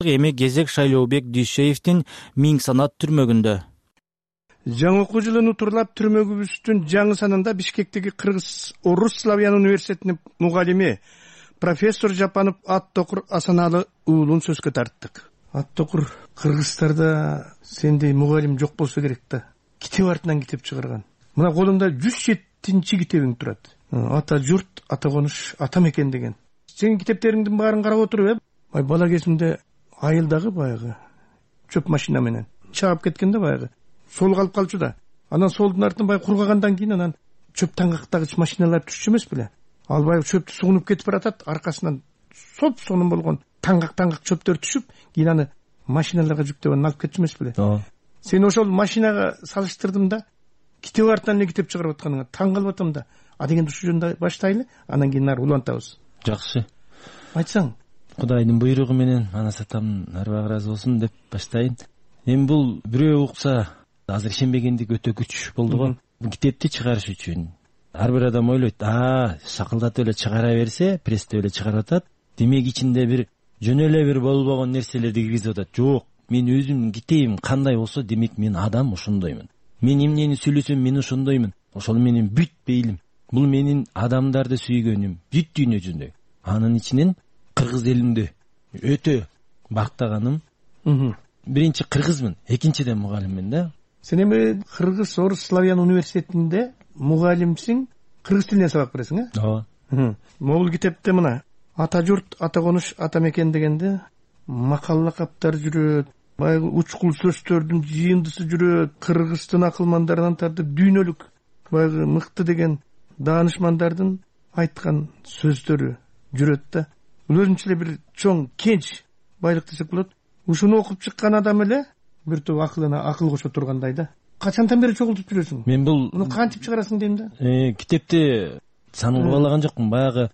Эми кезек Шайлообек Дүйшеевдин Миң санат түрмөгүндө. Жаңы окуу жылын утурлап түрмөгүбүздүн жаңы санында Бишкектеги Кыргыз-Орус Славян университетинин мугалими профессор Жапанов Аттокур Асаналы уулун сөзгө тарттык. Аттокур, кыргыздарда сендей мугалим жок болсо керек да. Китеп артынан китеп чыгарган. Мына колуңда 107-чи китебиң турат. Ата журт, ата конуш, ата мекен деген. Сенин китептериңдин баарын карап отуруп, бала кезимде айылдагы баягы чөп машина менен чаап кеткенде баягы сол калып калчу да. Анан солдун артынан баягы кургагандан кийин анан чөп таңгактагыч машиналар түшчү эмес беле? Ал баягы чөптү сугунуп кетип баратат, аркасынан соп-сонун болгон таңгак чөптөр түшүп, кийин аны машиналарга жүктөп анан алып кетчү эмес беле? Сен ошол машинага салыштырдым да, китеп артынан эле китеп чыгарып атканыңа таң калып атам да. А дегенде ушул жөнүндө баштайлы, анан кийин ары улантабыз. Жакшы. Айтсаң. Кудайдын буйругу менен анас атамдын арбагы ыраазы болсун деп баштайын. Эми бул бирөө укса, азыр ишенбегендик өтө күч болду го. Бул китепти чыгарыш үчүн ар бир адам ойлойт, шакылдатып эле чыгара берсе, пресстеп эле чыгарып атат. Демек ичинде бир жөн эле бир болбогон нерселерди киргизип атат. Жок, мен өзүмдүн китебим кандай болсо, демек мен адам ошондоймун. Мен эмнени сүйлөсөм, мен ошондоймун. Ошол менин бүт бейлим. Бул менин адамдарды сүйгөнүм, бүт дүйнө жүзүндө. Анын ичинен кыргыз элимди өтө бактаганым. Биринчи кыргызмын, экинчиден мугалиммин да. Сен эми Кыргыз-Орус Славян университетинде мугалимсиң, кыргыз тилинен сабак бересиң, Ооба. Могул китепте мына ата журт, ата конуш, ата мекен дегенде макал лакаптар жүрөт, баягы учкул сөздөрдүн жыйындысы жүрөт, кыргыздын акылмандарынан тартып дүйнөлүк баягы мыкты деген даанышмандардын айткан сөздөрү жүрөт да. Бул өзүнчө эле бир чоң кенч байлык десек болот. Ушуну окуп чыккан адам эле бир топ акылына акыл кошо тургандай да. Качандан бери чогултуп жүрөсүң? Мен бул муну кантип чыгарасың дейм да. Китепти санын кубалаган жокмун. Баягы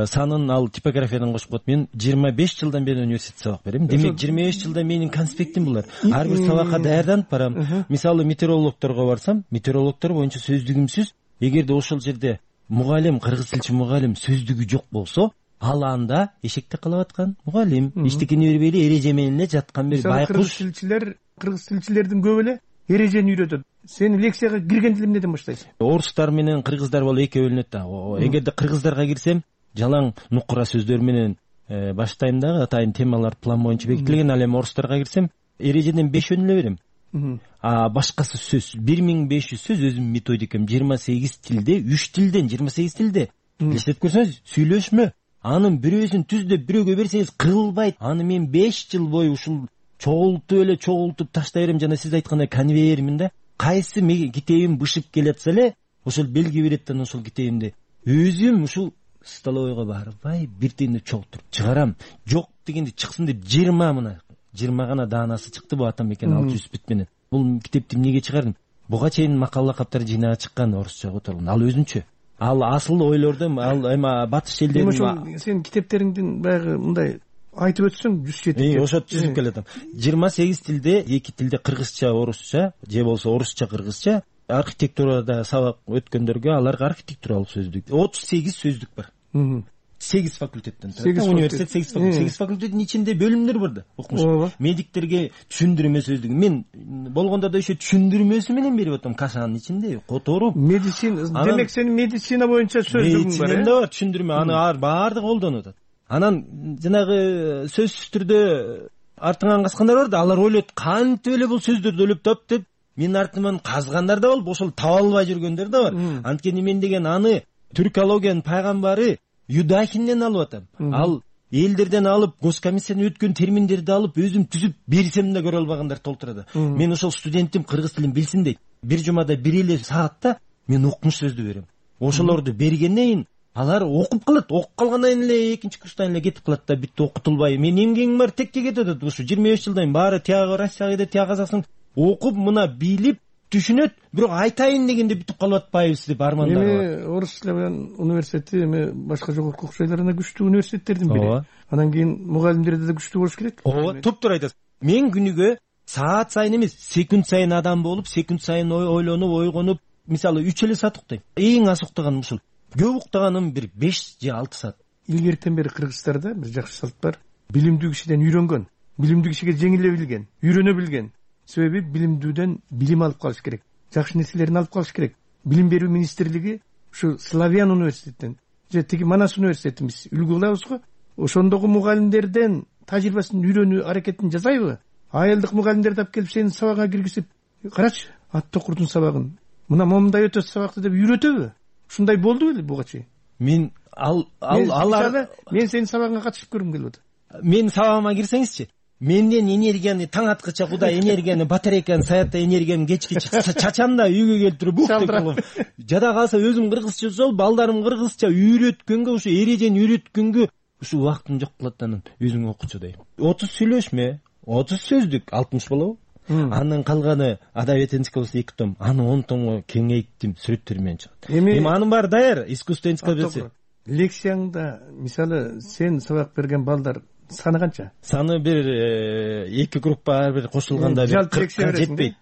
санын ал типографиядан кошуп коет. Мен 25 жылдан бери университетте сабак берем. Демек 25 жылда менин конспектим булар. Ар бир сабакка даярданып барам. Мисалы метеорологторго барсам, метеорологтор боюнча сөздүгүмсүз, эгерде ошол жерде мугалим, кыргыз тилчи мугалим сөздүгү жок болсо, ал анда эшекте калып аткан мугалим, эчтекени бербейли эреже менен эле жаткан бир байкуш. Кыргыз тилчилердин көбү эле эрежени үйрөтөт. Сен лекцияга киргенде эмнеден баштайсың? Орустар менен кыргыздар болуп экөө бөлүнөт да. Эгерде кыргыздарга кирсем, жалаң нукура сөздөр менен баштайм дагы, атайын темалар план боюнча бекитилген. Ал эми орустарга кирсем, эрежеден 5 эле берем. Башкасы сөз 1500 сөз, өзүм методикам 28 тилде, 3 тилден 28 тилде. Эстеп көрсөңүз, сүйлөшмө. Анын бирөөсүн түздөп бирөөгө берсеңиз кырылбайт. Аны мен 5 жыл бою ушул чогултуп таштай берем. Жана сиз айткандай конвейермин да. Кайсы китебим бышып келатса эле, ошол белги берет да, ошол китебимди өзүм ушул столовойго барбай биртендеп чогултуруп чыгарам. Жок дегенде чыксын деп 20 гана даанасы чыкты бу ата мекен 600 бүт менен. Бул китепти эмнеге чыгардым? Буга чейин макал лакаптар жыйнага чыккан орусча которгон. Ал өзүнчө. Ал асыл ойлордум, ал эми батыш элдеринин. Ошол сен китептериңдин баягы мындай айтып өтсөң 107. Ошо түзүп келатам. 28 тилде, 2 тилде кыргызча, орусча, же болсо орусча, кыргызча. Архитектурада сабак өткөндөргө аларга архитектуралык сөздүк 38 сөздүк бар. 8 факультеттен турат. Университет 8 факультеттин ичинде бөлүмдөр бар да. Окумуш. Медиктерге түшүндүрмө сөздүгү. Мен болгондо да ошо түшүндүрмөсү менен берип атам кашанын ичинде, которуп. Медицина, демек сенин медицина боюнча сөздүгүң бар. Медицинада бар түшүндүрмө, аны баардыгы колдонуп атат. Анан жанагы сөзсүз түрдө артыңан каскандар бар да, алар ойлойт, кантип эле бул сөздөрдү өлүп тап деп. Менин артыман казгандар да болуп, ошол таба албай жүргөндөр да бар. Анткени мен деген аны түркологиянын пайгамбары Юдахинден алып атам. Ал элдерден алып, госкомиссиядан өткөн терминдерди алып, өзүм түзүп берсем да көрө албагандар толтурады. Мен ошол студентим кыргыз тилин билсин дейт. Бир жумада 1 эле саатта мен окумуш сөздү берем. Ошолорду бергенден кийин алар окуп калат. Окуп калгандан кийин эле экинчи курстан эле кетип калат да, бүт окутулбай. Мен эмгегим бар текке кетип атат. Ушу 25 жылдан баары тияга Россияга кетип, тияга Казакстан окуп, мына билип, түшүнөт, бирок айтайын дегенде бүтүп калып атпайбыз деп армандары бар. Эми Орус Славян университети эми башка жогорку окшойлоруна күчтүү университеттердин бири. Анан кийин мугалимдерде да күчтүү болуш керек. Ооба, туптуур айтасыз. Мен күнүгө саат сайын эмес, секунд сайын адам болуп, секунд сайын ойлонуп, ойгонуп, мисалы 3 эле саат уктайм. Эң аз уктаганым ушул. Көп уктаганым бир 5 же 6 саат. Илгертен бери кыргыздарда бир жакшы салт бар. Билимдүү кишиден үйрөнгөн. билимдүү кишиге жеңиле билген, үйрөнө билген. Себеби билимдүүдөн билим алып калыш керек, жакшы нерселерин алып калыш керек. Билим берүү министрлиги ушу Славян университетинен же тиги Манас университетибиз үлгү кылабыз го. Ошондогу мугалимдерден тажрыйбасын үйрөнүү аракетин жасайбы? Айылдык мугалимдерди алып келип сени сабагыңа киргизип, карачы, ат токурдун сабагын мына момундай өтөсү сабакты деп үйрөтөбү? Ушундай болду беле буга чейин? Мен сенин сабагыңа катышып көргүм келип атат. Менин сабагыма кирсеңизчи, менден энергияны таң аткыча Кудай энергияны, батарейканы саятта энергияны кечки чачам да үйгө келип туруп бук деп кылып. Жада калса өзүм кыргызча сол, балдарым кыргызча үйрөткөнгө, ушу эрежени үйрөткөнгө ушу убактым жок кылат да анан өзүң окучу дейм. 30 сүйлөшмө, 30 сөздүк 60 болобу? Анын калганы адабият энциклопедиясы 2 том. Аны 10 томго кеңейттим, сүрөттөр менен чыгат. Эми анын баары даяр, искусство энциклопедиясы. Лекцияңда мисалы сен сабак берген балдар саны канча? Саны бир 2 группа ар бир кошулганда 40 жетпейт.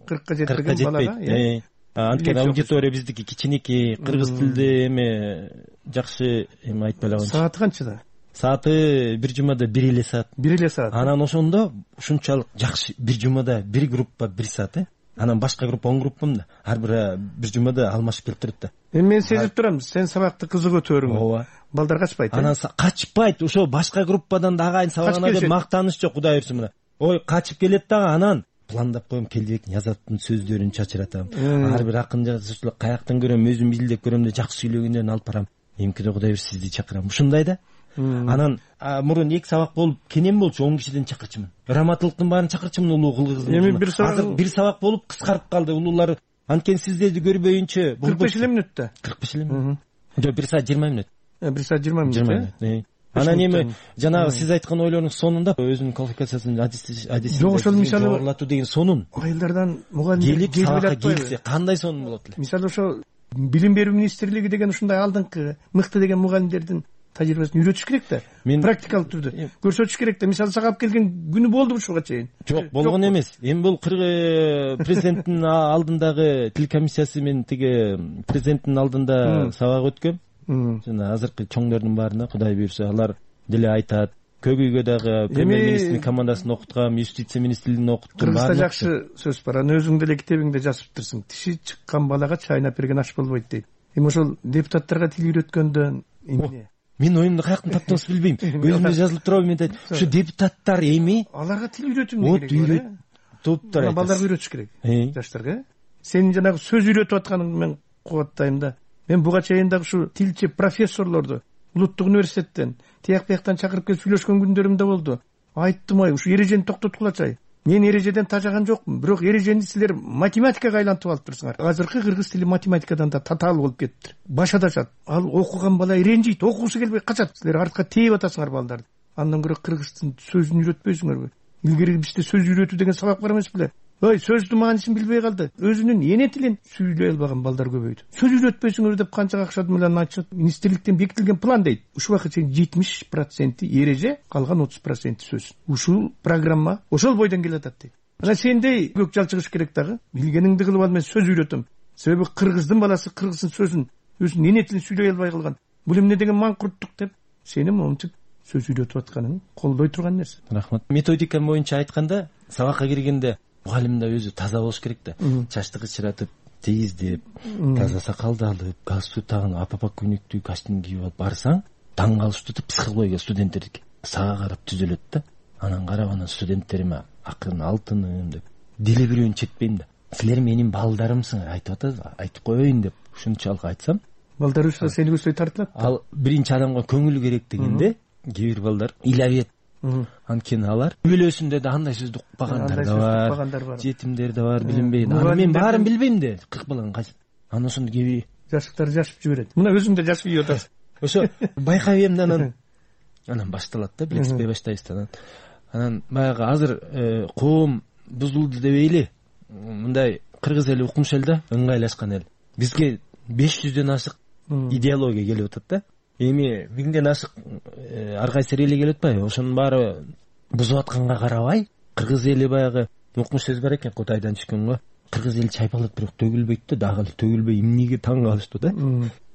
40 жетпеген балага. Анткени аудитория биздики кичинекей, кыргыз тилде эме жакшы эме айтпай эле койчу. Сааты канчада? Сааты бир жумада 1 эле саат. 1 эле саат. Анан ошондо ушунчалык жакшы бир жумада бир группа 1 саат, Анан башка группа 10 группам да. Ар бир жумада алмашып келип турат да. Мен сезип турам, сен сабакты кызык өтөрүң. Ооба. Балдар качпайт. Анан качпайт, ошо башка группадан да агайын сабагына деп мактаныш жок, Кудай урсун мына. Ой, качып келет дагы, анан пландап коем, келбек Язаттын сөздөрүн чачыратам. Ар бир акын жазуучулар каяктан көрөм, өзүм изилдеп көрөм да жакшы сүйлөгөндөрүн алып барам. Эмкиде Кудай урсун сизди чакырам. Ушундай да. Анан мурун 2 сабак болуп кенен болчу, 10 кишиден чакырчумун. Раматылыктын баарын чакырчумун, улуу кылгыздын. Эми бир сабак болуп кыскарып калды, улуулар. Анткени сиздерди көрбөйүнчө 45 мүнөттө. 45 мүнөт. Жок, 1 саат 20 мүнөт. 1 саат 20 мүнөт. Анан эми жанагы сиз айткан ойлордун сонунда өзүнүн квалификациясын адис жок, ошол мисалы орлатуу деген сонун. Айылдардан мугалимдер келип келсе кандай сонун болот эле. Мисалы ошо билим берүү министрлиги деген ушундай алдыңкы мыкты деген мугалимдердин тажрыйбасын үйрөтүш керек да. Практикалык түрдө көрсөтүш керек да. Мисалы сага алып келген күнү болду ушуга чейин. Жок, болгон эмес. Эми бул президенттин алдындагы тил комиссиясы менен тиги президенттин алдында сабак өткөм. Жана азыркы чоңдордун баарына Кудай буйрса алар деле айтат. Көк үйгө дагы премьер-министрдин командасын окуткам, юстиция министрлигин окуттум. Кыргызда жакшы сөз бар. Аны өзүң деле китебиңде жазыптырсың. Тиши чыккан балага чайнап берген аш болбойт дейт. Эми ошол депутаттарга тил үйрөткөндөн эмне? Мен оюмду каяктан таптыңыз билбейм. Өзүмдө жазылып турабы, мен айтат. Ушу депутаттар эми аларга тил үйрөтүү керек. Топтор айтат. Балдарга үйрөтүш керек. Жаштарга. Сенин жанагы сөз үйрөтүп атканыңды мен кубаттайм да. Мен буга чейин дагы ушу тилчи профессорлорду улуттук университеттен тияк бияктан чакырып келип сүйлөшкөн күндөрүм да болду. Айттым, ой, ушу эрежени токтоткулачай. Мен эрежеден тажаган жокмун, бирок эрежени силер математикага айлантып алыптырсыңар. Азыркы кыргыз тили математикадан да татаал болуп кетти. Баш адашат. Ал окуган бала ренжийт, окугусу келбей качат. Силер артка тээп атасыңар балдарды. Андан көрө кыргыздын сөзүн үйрөтпөйсүңөрбү? Илгери бизде сөз үйрөтүү деген сабак бар эмес беле? Ой, сөздүн маанисин билбей калды. Өзүнүн эне тилин сүйлөй албаган балдар көбөйдү. Сөз үйрөтпөйсүңөр деп канча акча менен айтышат. Министрликтен бекитилген план дейт. Ушул убакытка чейин 70% эреже, калган 30% сөз. Ушул программа ошол бойдон келатат дейт. Анан сендей көк жалчыгыш керек дагы. Билгениңди кылып ал, мен сөз үйрөтөм. Себеби кыргыздын баласы кыргыздын сөзүн, өзүнүн эне тилин сүйлөй албай калган. Бул эмне деген маңкурттук деп сени момунтип сөз үйрөтүп атканың колдой турган нерсе. Рахмат. Методика боюнча айтканда, сабакка киргенде мугалим да өзү таза болуш керек да. Чачты кычыратып, тийиздеп, таза сакалды алып, галстук тагып, апапа күнүктүү костюм кийип алып барсаң, таң калыштуу да психология студенттердики. Сага карап түзөлөт да. Анан карап, анан студенттериме акын алтыным деп деле бирөөнү четпейм да. Силер менин балдарымсыңар, айтып атасыз, айтып коеюн деп ушунчалык айтсам, балдар ушла сени көздөй тартылат. Ал биринчи адамга көңүл керек дегенде, кээ бир балдар илабет. Анткени алар үй-бүлөсүндө да андай сөздү укпагандар да бар, жетимдер да бар, билинбейт. Аны мен баарын билбейм да, 40 баланын кайсы. Анан ошондо кээ бир жашыктар жашып жиберет. Мына өзүң да жашып ийип атасың. Ошо байкап эм да, анан башталат да, билексизбей баштайбыз да. Анан баягы азыр коом бузулду дебейли, мындай кыргыз эли укмуш эл да, ыңгайлашкан эл. Бизге 500дөн ашык идеология келип атат да. Эми 1000ден ашык ар кайсы эле келип атпайбы? Ошонун баары бузуп атканга карабай, кыргыз эли баягы укмуш сөз бар экен, Кутайдан түшкөн го. Кыргыз эли чайпалат, бирок төгүлбөйт да, дагы төгүлбөй эмнеге таң калыштуу да.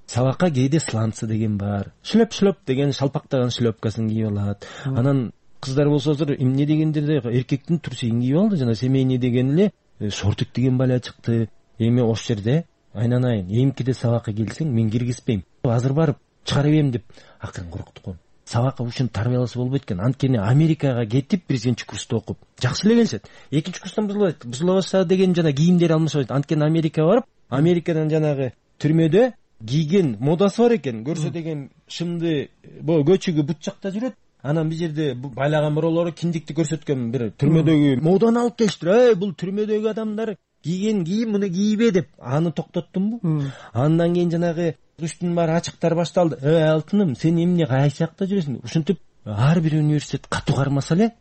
Сабакка кээде сланцы деген бар. Шлеп деген шалпактаган шлепкасын кийип алат. Анан кыздар болсо азыр эмне дегенде эркектин турсегин кийип алды, жана семейный деген эле шортик деген баля чыкты. Эми ош жерде айнанайын эмкиде сабакка келсең мен киргизбейм, азыр барып чыгарып берем деп акырын коркуттук го. Сабакка ушинтип тарбияласа болбойт экен. Анткени Америкага кетип биринчи курста окуп жакшы эле келишет. Экинчи курстан бузула баштады деген жана кийимдери алмашпайт. Анткени Америкага барып, Америкадан жанагы түрмөдө кийген модасы бар экен. Көрсө деген шымды көчүгү бут жакта жүрөт. Анан бир жерде байлаган бирөөлөрү киндикти көрсөткөн бир түрмөдөгү моданы алып келиштир. Бул түрмөдөгү адамдар кийген кийим, муну кийбе деп аны токтоттумбу. Андан кийин жанагы үстүн баары ачыктар башталды. Алтыным, сен эмне кайсы жакта жүрөсүң? Ушинтип ар бир университет катуу кармаса эле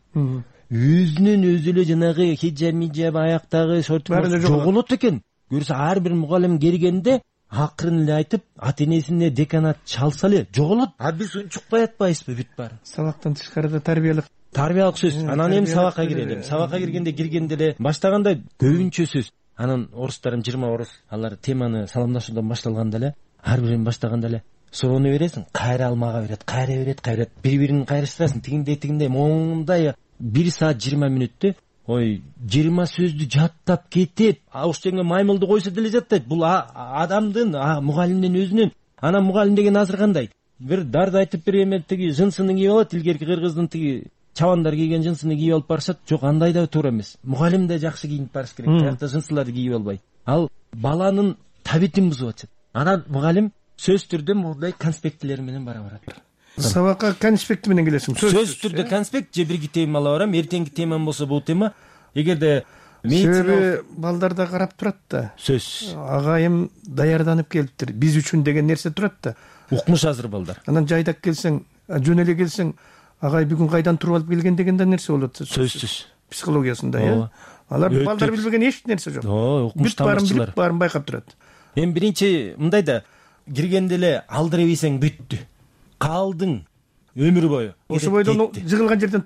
өзүнөн өзү эле жанагы хиджаб, аяктагы шортик жоголот экен. Көрсө ар бир мугалим келгенде акырын эле айтып, ата-энесине деканат чалса эле жоголот. Биз унчукпай атпайбызбы бүт баары? Сабактан тышкарыда тарбиялык сөз. Анан эми сабакка кирелим. Сабакка киргенде эле баштаганда көбүнчө сөз. Анан орустарым 20 орус, алар теманы саламдашуудан башталганда эле, ар бирин баштаганда эле суроону бересиң, кайра алмага берет, кайра берет, бири-бирин кайрыштырасың, тигиндей, мондай 1 саат 20 мүнөттө 20 сөздү жаттап кетип, ошченге маймылды койсо деле жаттайт. Бул адамдын, мугалимдин өзүнүн. Анан мугалим деген азыр кандай? Бир дарды айтып берген тиги жынсынын кийип алат, илгерки кыргыздын тиги чабандар кийген жынсыны кийип алып барышат. Жок, андай да туура эмес. Мугалим да жакшы кийинип барыш керек. Биякта жынсыларды кийип албай. Ал баланын табитин бузуп атат. Анан мугалим сөз түрдө мондай конспектилер менен бара барат. Сабакка конспекти менен келесиң. Сөз түрдө конспект же бирги тема ала барам. Эртеңки темам болсо бул тема. Эгерде себеби балдар да карап турат да. Сөз. Агайым даярданып келиптир. Биз үчүн деген нерсе турат да. Укмуш азыр балдар. Анан жайдак келсең, жөн эле келсең, агай бүгүн кайдан туруп алып келген деген да нерсе болот. Сөзсүз. Психологиясында, Алар балдар билбеген эч нерсе жок. Укмуш тамырчылар. Баарын байкап турат. Эми биринчи мындай да, киргенде эле алдыра бейсең бүттү. Калдың өмүр бою. Ошо бойдон жыгылган жерден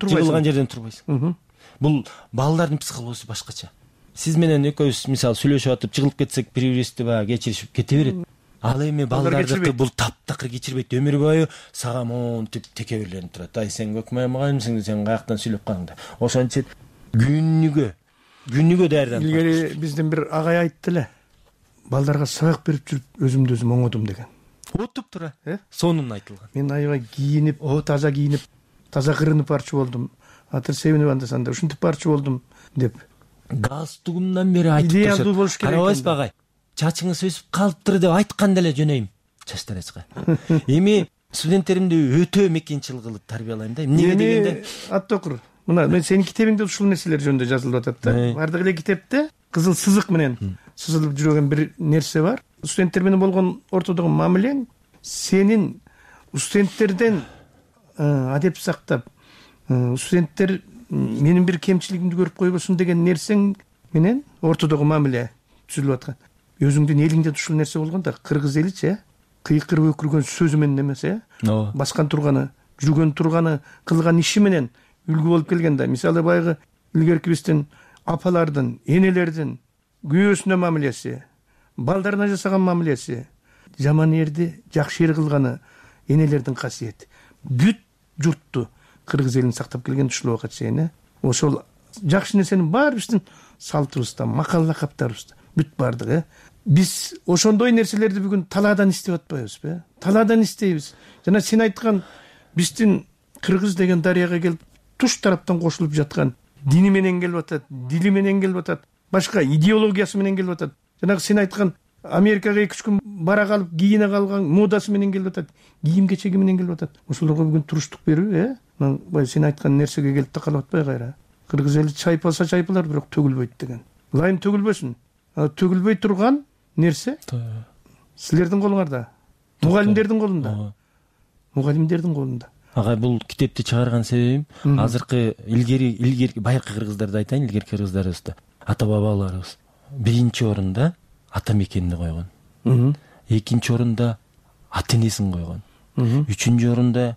турбайсың. Бул балдардын психологиясы башкача. Сиз менен экөөбүз мисалы сүйлөшүп атып жыгылып кетсек, бири-бирибизди баягы кечиришип кете берет. Ал эми балдардыкы бул таптакыр кечирбейт. Өмүр бою сага монтип текеберленип турат. Сен көкмай мугалимсиң, сен каяктан сүйлөп калдың. Ошентип күнүгө даярданып. Илгери биздин бир агай айтты эле. Балдарга сабак берип жүрүп өзүмдү өзүм оңодум деген. Отуп тура. Сонун айтылган. Мен аябай кийинип, таза кийинип, таза кырынып барчу болдум. Атыр себинип андасанда ушинтип барчу болдум деп. Галстугумдан бери айтып турат. Идеалдуу болуш керек. Карабайсызбы агай? Чачыңыз өсүп калыптыр деп айтканда эле жөнөйм. Чачтарачка. Эми студенттеримди өтө мекенчил кылып тарбиялайм да. Эмнеге дегенде Аттокур. Мына мен сенин китебиңде ушул нерселер жөнүндө жазылып атат да. Бардык эле китепте кызыл сызык менен сызылып жүргөн бир нерсе бар. Студенттер менен болгон ортодогу мамилең сенин студенттерден адеп сактап, студенттер менин бир кемчилигимди көрүп койбосун деген нерсең менен ортодогу мамиле түзүлүп аткан. Өзүңдүн элиңде ушул нерсе болгондо кыргыз эличи кыйкырып өкүргөн сөзү менен эмес, баскан турганы, жүргөн турганы, кылган иши менен үлгү болуп келген да. Мисалы баягы илгерки биздин апалардын, энелердин күйөөсүнө мамилеси, балдарына жасаган мамилеси, жаман эрди жакшы эр кылганы энелердин касиети. Бүт журтту кыргыз элин сактап келген ушул убакка чейин. Ошол жакшы нерсенин баары биздин салтыбызда, макал лакаптарыбызда бүт бардыгы. Биз ошондой нерселерди бүгүн талаадан издеп атпайбызбы? Талаадан издейбиз. Жана сен айткан биздин кыргыз деген дарыяга келип туш тараптан кошулуп жаткан дини менен келип атат, дили менен келип атат, башка идеологиясы менен келип атат. Жанагы сен айткан Америкага 2-3 күн бара калып кийине калган модасы менен келип атат, кийим кечеги менен келип атат. Ошолорго бүгүн туруштук берүү, Мына сен айткан нерсеге келип такалып атпай кайра. Кыргыз эли чайпалса чайпалар, бирок төгүлбөйт деген. Ылайым төгүлбөсүн. Төгүлбөй турган нерсе силердин колуңарда, мугалимдердин колунда. Мугалимдердин колунда. Агай, бул китепти чыгарган себебим азыркы илгерки байыркы кыргыздарды айтайын, илгерки кыргыздарыбызда ата бабаларыбыз биринчи орунда ата мекенди койгон. Экинчи орунда ата энесин койгон. Үчүнчү орунда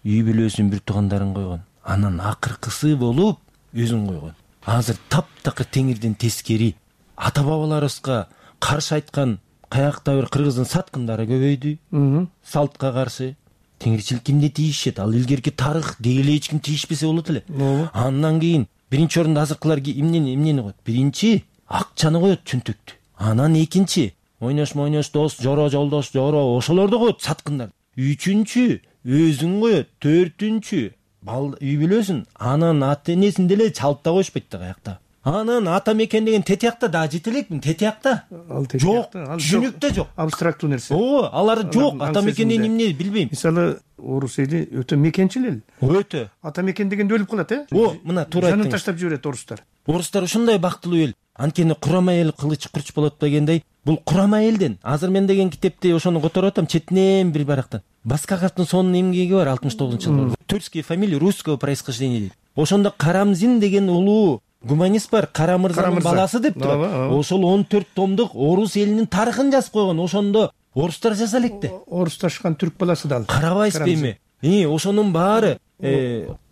үй бүлөсүн, бир туугандарын койгон. Анан акыркысы болуп өзүн койгон. Азыр таптакыр теңирден тескери ата бабаларыбызга каршы айткан каякта бир кыргыздын саткындары көбөйдү. Салтка каршы, теңирчилик кимге тийишет, ал илгерки тарых деги эле эч ким тийишпесе болот эле. Андан кийин биринчи орунда азыркылар эмнени коет? Биринчи акчаны коет, чөнтөктү. Анан экинчи ойнош дос, жоро жолдош, жоро ошолорду коет, саткындар. Үчүнчү өзүн коет, төртүнчү үй бүлөсүн, анан ата энесин деле чалып да коюшпайт да аякта. Анан ата мекен деген тетиякта да жете элекмин, тетиякта. Жок, түшүнүктө жок. Абстрактуу нерсе. Алар жок, ата мекен деген эмне билбейм. Мисалы, орус эли өтө мекенчил эл. Өтө. Ата мекен дегенде өлүп калат, мына туура айттыңыз. Жанын таштап жиберет орустар. Орустар ушундай бактылуу эл. Анткени курама эл кылыч курч болот дегендей, бул курама элден. Азыр мен деген китепти ошону которуп атам, четинен бир барактан. Баскаковдун сонун эмгеги бар 69-жылы. Тюркские фамилии русского происхождения дейт. Ошондо Карамзин деген улуу гуманист бар, Кара мырзанын баласы деп турат. Ошол 14 томдук орус элинин тарыхын жазып койгон. Ошондо орустар жаза электи. Орусташкан түрк баласы да ал. Карабайсызбы эми? Ошонун баары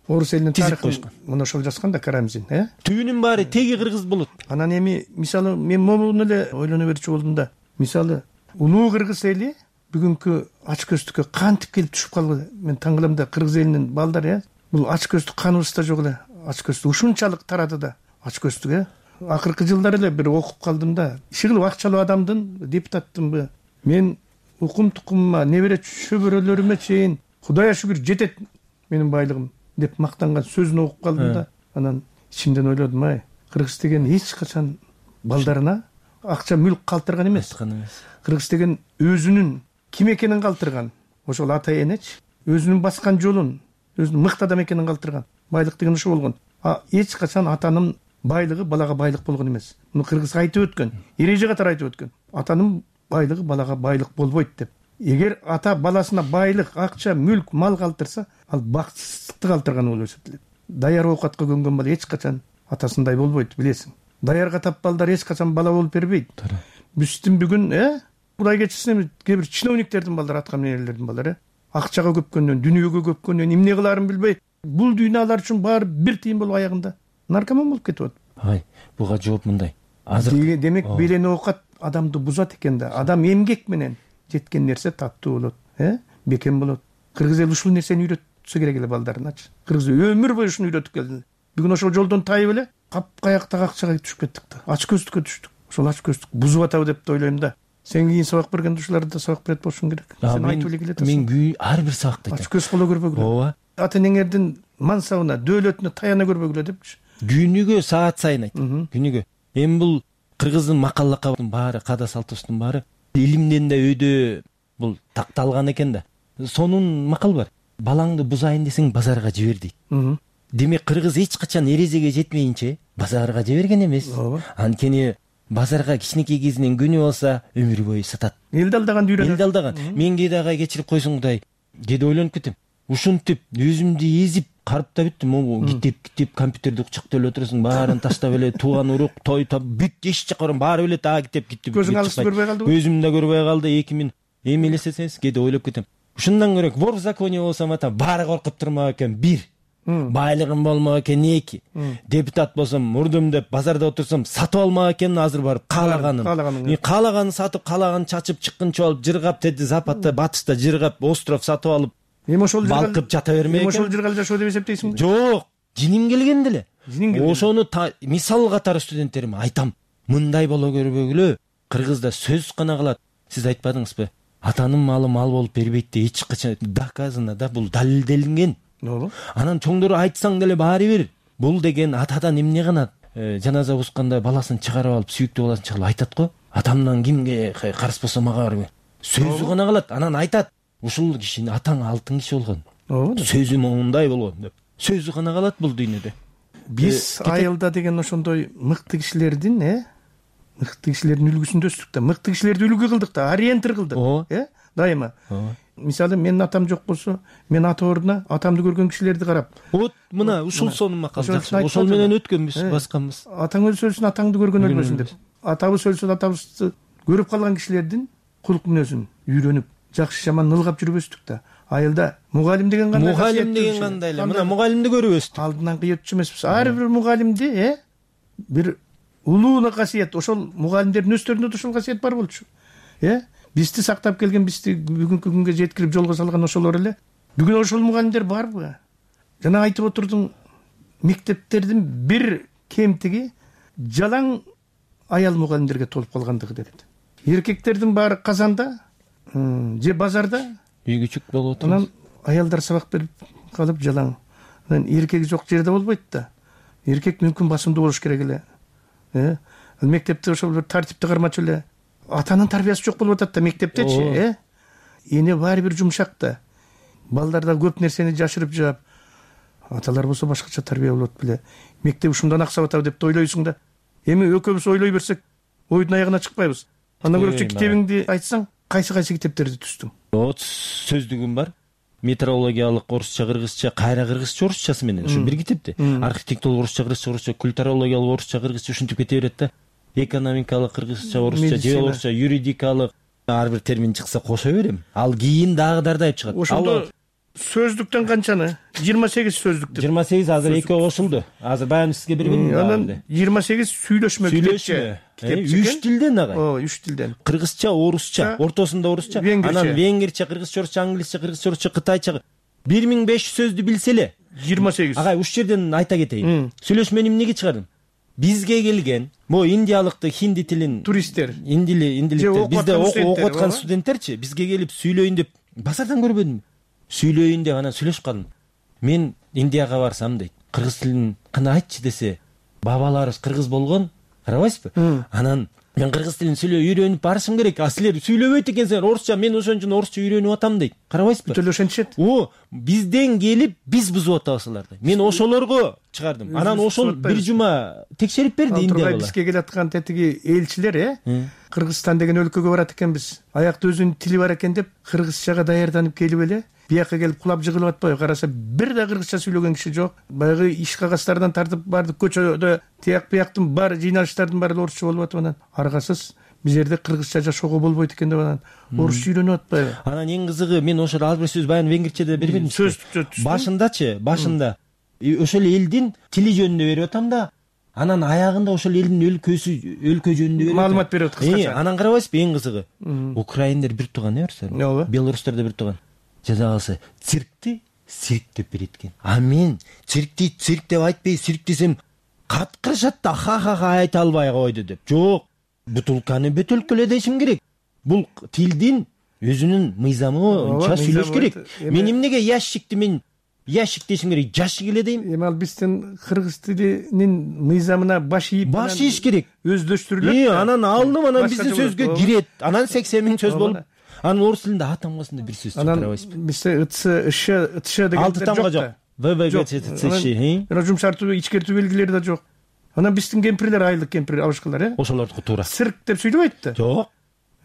орус элинин тарыхын мына ошол жазган да Карамзин, Түбүнүн баары теги кыргыз болот. Анан эми мисалы мен могуну эле ойлоно берчү болдум да. Мисалы, улуу кыргыз эли бүгүнкү ач көздүккө кантип келип түшүп калды? Мен таң калам да, кыргыз элинин балдары, бул ач көздүк каныбызда жок эле. Ач көздүк ушунчалык тарады да. Ач көздүк, акыркы жылдары эле бир окуп калдым да. Иши кылып акчалуу адамдын, депутаттымбы, мен укум тукумума, небере чөбөрөлөрүмө чейин Кудайга шүгүр жетет менин байлыгым деп мактанган сөзүн окуп калдым да. Анан ичимден ойлодум, кыргыз деген эч качан балдарына акча мүлк калтырган эмес. Кыргыз деген өзүнүн ким экенин калтырган. Ошол ата энечи өзүнүн баскан жолун, өзүнүн мыкты адам экенин калтырган. Байлык деген ошо болгон. Эч качан атанын байлыгы балага байлык болгон эмес. Муну кыргыз айтып өткөн, эреже катары айтып өткөн. Атанын байлыгы балага байлык болбойт деп. Эгер ата баласына байлык, акча, мүлк, мал калтырса, ал бакытсыздыкты калтырган болуп эсептелет. Даяр оокатка көнгөн бала эч качан атасындай болбойт, билесиң. Даярга тап балдар эч качан бала болуп бербейт. Биздин бүгүн, Кудай кечирсин, кээ бир чиновниктердин балдары, атка менелердин балдары, акчага көпкөндөн, дүнүйөгө көпкөндөн эмне кылаарын билбей, бул дүйнөлөр үчүн баары бир тыйын болуп аягында наркоман болуп кетип атат. Буга жооп мындай. Демек белен оокат адамды бузат экен да. Адам эмгек менен жеткен нерсе таттуу болот, бекем болот. Кыргыз эл ушул нерсени үйрөтсө керек эле балдарыначы. Кыргыз өмүр бою ушуну үйрөтүп келди. Бүгүн ошол жолдон тайып эле капкаяктагы акчага түшүп кеттик да. Ач көздүккө түштүк. Ошол ач көздүк бузуп атабы деп ойлойм да. Сен кийин сабак бергенде ушуларды да сабак берет болушуң керек. Сен айтып эле келет. Мен ар бир сабакта айтам. Ач көз боло көрбөгүлө. Ата энеңердин мансабына, дөөлөтүнө таяна көрбөгүлө депчи. Күнүгө саат сайын айтам. Күнүгө. Эми бул кыргыздын макал лакабынын баары, када салтыбыздын баары илимден да өйдө бул такталган экен да. Сонун макал бар. Балаңды бузайын десең базарга жибер дейт. Демек кыргыз эч качан эрежеге жетмейинче базарга жиберген эмес. Анткени базарга кичинекей кезинен көнүп алса өмүр бою сатат. Элди алдаган үйрөнөт. Элди алдаган. Мен кээде агай кечирип койсуң Кудай. Кээде ойлонуп кетем. Ушинтип өзүмдү эзип карып да бүттүм. Китеп компьютерди кучактап эле отурасың, баарын таштап эле тууган урук, той бүт эч жакка барам, баары билет, китеп китти. Көзүң алысты көрбөй калдыбы? Өзүм да көрбөй калды. 2000 эми элестесеңиз, кээде ойлоп кетем. Ушундан көрөк вор в законе болсом баары коркуп турмак экен. 1. Байлыгым болмок экен. 2. Депутат болсом, мурдум деп базарда отурсам, сатып алмак экен, азыр барып каалаганын сатып, каалаганын чачып, чыккынчы алып, жыргап, теди Западта, Батышта жыргап, остров сатып алып, эми ошол балкып жата бермек экен. Ошол жыргал жашоо деп эсептейсиңби? Жок, жиним келген деле. Ошону мисал катары студенттериме айтам. Мындай боло көрбөгүлө. Кыргызда сөз гана калат. Сиз айтпадыңызбы? Атанын малы мал болуп бербейт деп эч качан доказано да, бул далилделинген. Анан чоңдору айтсаң деле баары бир. Бул деген атадан эмне гана жаназа укканда баласын чыгарып алып, сүйүктүү баласын чыгарып айтат го. Атамдан кимге карыз болсо мага бар. Сөзү гана калат. Анан айтат. Ушул киши атаң алтын киши болгон. Сөзү моундай болгон деп. Сөзү гана калат бул дүйнөдө. Биз айылда деген ошондой мыкты кишилердин, мыкты кишилердин үлгүсүндө өстүк да, мыкты кишилерди үлгү кылдык да, ориентир кылдык, дайыма. Мисалы менин атам жок болсо, мен ата ордуна атамды көргөн кишилерди карап. Вот мына ушул сонун макал жакшы. Ошол менен өткөнбүз, басканбыз. Атаң өлсө атаңды көргөн өлбөсүн деп. Атабыз өлсө атабызды көрүп калган кишилердин кулк мүнөзүн үйрөнүп, жакшы жаман ылгап жүрбөстүк да. Айылда мугалим деген кандай? Мугалим деген кандай эле? Мына мугалимди көрүп өстүк. Алдынан кыйытчу эмеспиз. Ар бир мугалимди, бир улуу касиет, ошол мугалимдердин өздөрүндө да ошол касиет бар болчу. Бизди сактап келген, бизди бүгүнкү күнгө жеткирип жолго салган ошолор эле. Бүгүн ошол мугалимдер барбы? Жана айтып отурдуң, мектептердин бир кемтиги жалаң аял мугалимдерге толуп калгандыгы дедит. Эркектердин баары казанда же базарда, үй күчүк болуп отур. анан аялдар сабак берип калып жалаң. Анан эркеги жок жерде болбойт да. Эркек мүмкүн басымдуу болуш керек эле. Мектепте ошол бир тартипти кармачу эле. Атанын тарбиясы жок болуп атат да мектептечи, Эне баары бир жумшак да. Балдар да көп нерсени жашырып жаап, аталар болсо башкача тарбия болот беле. Мектеп ушундан аксап атабы деп ойлойсуң да. Эми экөөбүз ойлой берсек, ойдун аягына чыкпайбыз. Андан көрөчү китебиңди айтсаң, кайсы китептерди түздүң? Сөздүгүм бар. Метеорологиялык орусча, кыргызча, кайра кыргызча, орусчасы менен. Ушу бир китепти. Архитектуралык орусча, кыргызча, культурологиялык орусча, кыргызча ушинтип кете берет да. Экономикалык кыргызча, орусча, же орусча, юридикалык ар бир термин чыкса кошо берем. Ал кийин дагы дардай чыгат. Ошондо сөздүктөн канчаны? 28 сөздүктү. 28 азыр экөө кошулду. Азыр баягы сизге бербедим. Анан 28 сүйлөшмө китепче. 3 тилден агай. 3 тилден. Кыргызча, орусча, ортосунда орусча, анан венгерче, кыргызча, орусча, англисче, кыргызча, орусча, кытайча 1500 сөздү билсе эле 28. Агай ушул жерден айта кетейин. Сүйлөшмөнү эмнеге чыгардым? Бизге келген могу индиялыкты, хинди тилин туристтер, индиликтер, бизде окуп аткан студенттерчи бизге келип сүйлөйүн деп базардан көрбөдүм. Сүйлөйүн деп анан сүйлөшүп калдым. Мен Индияга барсам дейт, кыргыз тилин кана айтчы десе, бабаларыбыз кыргыз болгон, карабайсызбы? Анан мен кыргыз тилин үйрөнүп барышым керек. А силер сүйлөбөйт экенсиңер орусча, мен ошон үчүн орусча үйрөнүп атам дейт. Карабайсызбы? Бүтөлө ошентишет. Бизден келип биз бузуп атабыз аларды. Мен ошолорго чыгардым. Анан ошол бир жума текшерип берди Индиялар. Бизге келаткан тетиги элчилер, Кыргызстан деген өлкөгө барат экенбиз. Аякта өзүнүн тили бар экен деп кыргызчага даярданып келип эле бияка келип кулап жыгылып атпайбы? Караса бир да кыргызча сүйлөгөн киши жок. Баягы иш кагаздардан тартып бардык, көчөдө тияк бияктын бар жыйналыштардын баары орусча болуп атып, анан аргасыз биз жерде кыргызча жашоого болбойт экен деп анан орусча үйрөнүп атпайбы? Анан эң кызыгы, мен ошол ар бир сөз баягы венгерчеде бербедим. Башында ошол элдин тили жөнүндө берип атам да, анан аягында ошол элдин өлкө жөнүндө берип маалымат берип кыскача. Анан карабайсызбы, эң кызыгы, украиндер бир тууган эмес, белорустар да бир тууган. Жаза калса циркти цирк деп берет экен. А мен циркти цирк деп айтпай, цирк десем каткырышат да, ха айта албай койду деп. Жок, бутулканы бөтөлкөлө дешим керек. Бул тилдин өзүнүн мыйзамы боюнча сүйлөш керек. Мен эмнеге ящикти мен ящик дешим керек, жашык эле дейм. Эми ал биздин кыргыз тилинин мыйзамына баш ийиш керек. Өздөштүрүлөт. Анан алдым, анан биздин сөзгө кирет. Анан 80 000 сөз болуп. Анан орус тилинде А тамгасында бир сөз чыгып карабайсызбы? Бизде ытшы деген 6 тамга жок. ВВГ жумшартуу, ичкертүү белгилери да жок. Анан биздин кемпирлер, айылдык кемпир абышкалар, ошолордуку туура. Цирк деп сүйлөбөйт да. Жок.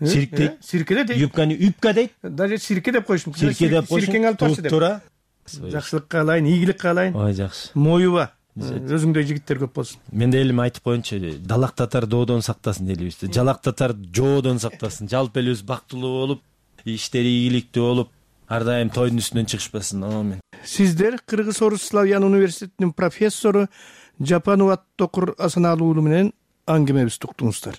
Цирк дейт. Сирке дейт. Юбканы үпка дейт. Даже сирке деп коюш мүмкүн. Сирке деп коюш. Сиркең алып барчы деп. Туура. Жакшылык каалайын, ийгилик каалайын. Ой, жакшы. Моюба. Өзүңдөй жигиттер көп болсун. Мен да элим айтып коеюнчу, далак татар доодон сактасын дейбиз. Жалак татар жоодон сактасын. Жалпы эле өз бактылуу болуп, иштери ийгиликтүү болуп, ар дайым тойдун үстүнөн чыгышпасын. Амин. Сиздер Кыргыз Орус Славян университетинин профессору Жапанов Аттокур Асаналуу уулу менен аңгемебизди уктуңуздар.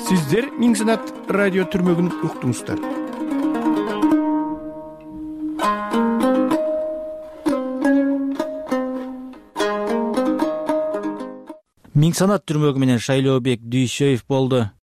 Сиздер Миң Санат радио түрмөгүн уктуңуздар. Миң Санат түрмөгү менен Шайлообек Дүйшөев болду.